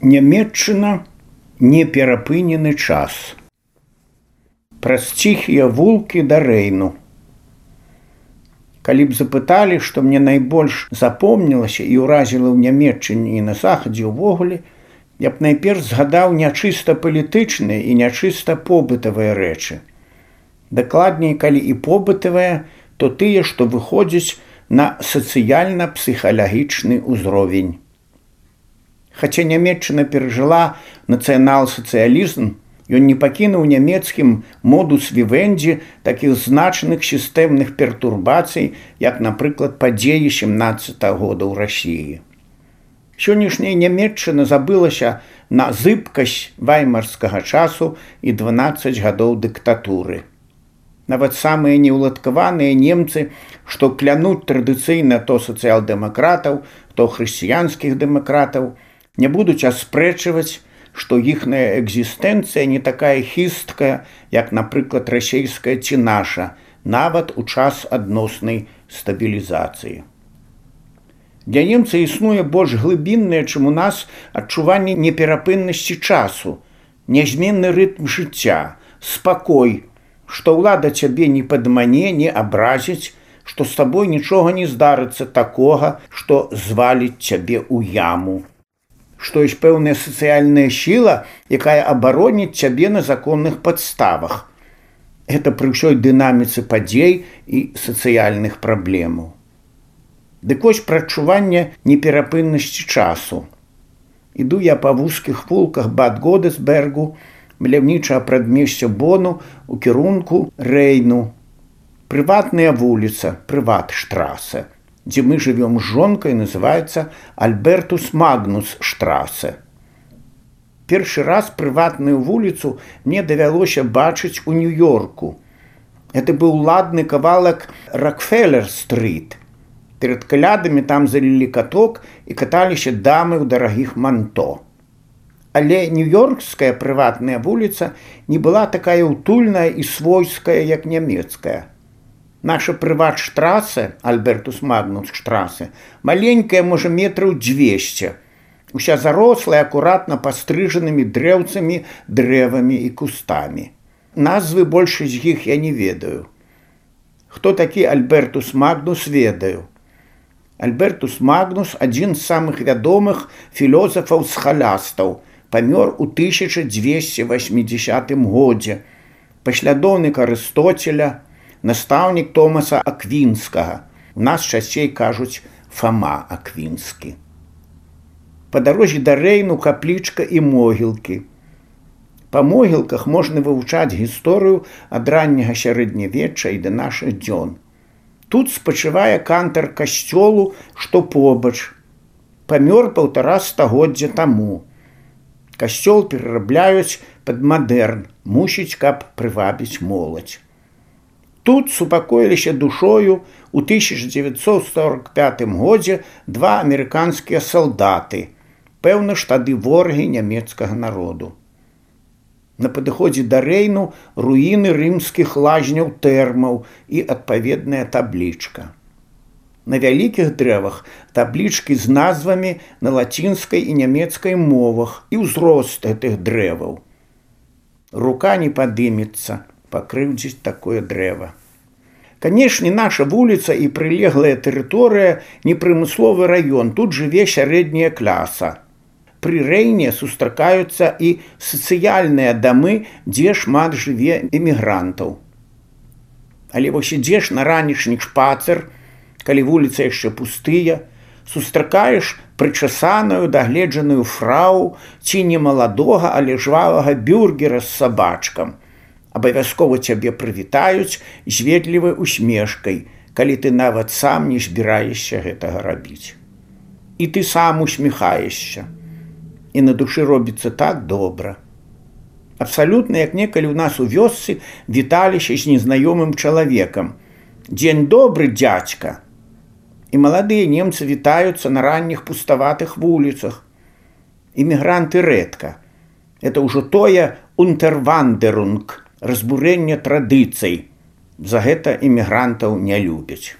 Нямецчына неперапынены час. Праз ціхія вулкі да Рэйну. Калі б запыталі, што мне найбольш запомнілася і ўразіла ў Нямецчыне і на захадзе ўвогуле, я б найперш згадаў нячыста палітычныя і нячыста побытавыя рэчы. Дакладней, калі і побытавыя, то тыя, што выходзяць на сацыяльна-псіхалагічны ўзровень. Хаця Нямецчына перажыла нацыянал-сацыялізм, ён не пакінуў нямецкім модус вівендзі такіх значных сістэмных пертурбацый, як, напрыклад, падзеі 17-го года ў Расіі. Сённяшняя Нямецчына забылася на зыбкасць ваймарскага часу і 12 гадоў дыктатуры. Нават самыя неўладкаваныя немцы, што клянуць традыцыйна то сацыял-дэмакратаў, то хрысціянскіх дэмакратаў, не будуць аспрэчваць, што іхная экзістэнцыя не такая хісткая, як, напрыклад, расейская ці наша, нават у час адноснай стабілізацыі. Для немца існуе больш глыбіннае, чым у нас, адчуванне неперапыннасці часу, нязменны рытм жыцця, спакой, што ўлада цябе не падмане, не абразіць, што з табой нічога не здарыцца такога, што зваліць цябе ў яму. Што ёсць пэўная сацыяльная сіла, якая абароніць цябе на законных падставах. Гэта пры ўсёй дынаміцы падзей і сацыяльных праблемаў. Дык вось пра адчуванне неперапыннасці часу. Іду я па вузкіх вулках Бад Годесбергу, маляўнічага прадмесця Бону у кірунку Рэйну. Прыватная вуліца, Прыватштрассе, дзе мы жывём з жонкай, называецца Альбертус Магнус Штрассе. Першы раз прыватную вуліцу мне давялося бачыць у Нью-Йорку. Гэта быў ладны кавалак Рокфеллер-стрит. Перад калядамі там залілі каток і каталіся дамы ў дарагіх манто. Але нью-йоркская прыватная вуліца не была такая утульная і свойская, як нямецкая. Наша Прыватштрассе, Альбертус Магнус Штрассе, маленькая, можа, метраў 200, уся зарослая акуратна пастрыжанымі дрэўцамі, дрэвамі і кустамі. Назвы большасць з іх я не ведаю. Хто такі Альбертус Магнус, ведаю. Альбертус Магнус – адзін з самых вядомых філёзафаў-схалястаў, памёр у 1280 годзе, паслядоўнік Арыстоцеля, настаўнік Томаса Аквінскага. У нас часцей кажуць Фама Аквінскі. Па дарозе да Рэйну каплічка і могілкі. Па могілках можна вывучаць гісторыю ад ранняга сярэднявечча і да нашых дзён. Тут спачывае кантар касцёлу, што побач. Памёр 1,5 стагоддзя таму. Касцёл перарабляюць пад мадэрн, мусіць, каб прывабіць моладзь. Тут супакоіліся душою у 1945 годзе 2 амерыканскія салдаты, пэўна ж тады ворагі нямецкага народу. На падыходзе да Рэйну руіны рымскіх лазняў тэрмаў і адпаведная таблічка. На вялікіх дрэвах таблічкі з назвамі на лацінскай і нямецкай мовах і ўзрост гэтых дрэваў. Рука не падымецца пакрыўдзіць такое дрэва. Канешне, наша вуліца і прылеглая тэрыторыя не прымысловы раён, тут жыве сярэдняя класа. Пры Рэйне сустракаюцца і сацыяльныя дамы, дзе шмат жыве эмігрантаў. Але вось ідзеш на ранішні шпацыр, калі вуліца яшчэ пустыя, сустракаеш прычасаную, дагледжаную фрау ці не маладога, але жвавага бюргера з сабачкам. Абавязкова цябе прывітаюць з ветлівай усмешкай, калі ты нават сам не збіраешся гэтага рабіць. І ты сам усміхаешся. І на душы робіцца так добра. Абсалютна, як некалі ў нас у вёсцы віталіся з незнаёмым чалавекам. «Дзень добры, дзядзька!» І маладыя немцы вітаюцца на ранніх пуставатых вуліцах. Імігранты рэдка. Это ўжо тое «унтервандерунг», разбурэнне традыцый. За гэта імігрантаў не любяць.